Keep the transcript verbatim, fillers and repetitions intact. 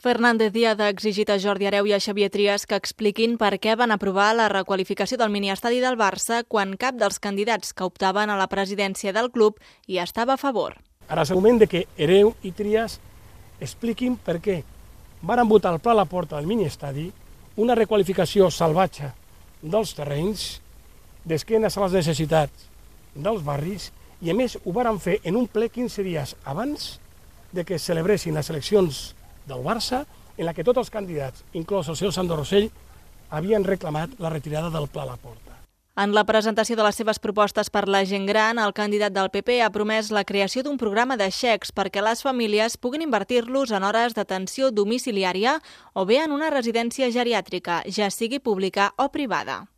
Fernández Díaz ha exigit a Jordi Hereu i a Xavier Trias que expliquin per què van aprovar la requalificació del miniestadi del Barça quan cap dels candidats que optaven a la presidència del club hi estava a favor. Ara és el moment de que Hereu i Trias expliquin per què van votar al Pla Laporta del miniestadi una requalificació salvatge dels terrenys, d'esquenes a les necessitats dels barris, i a més ho van fer en un ple quinze dies abans de que es celebressin les eleccions del Barça, en la que tots els candidats, inclòs el senyor Sandro Rosell, havien reclamat la retirada del Pla Laporta. En la presentació de les seves propostes per la gent gran, el candidat del P P ha promès la creació d'un programa de xecs perquè les famílies puguin invertir-los en hores d'atenció domiciliària o bé en una residència geriàtrica, ja sigui pública o privada.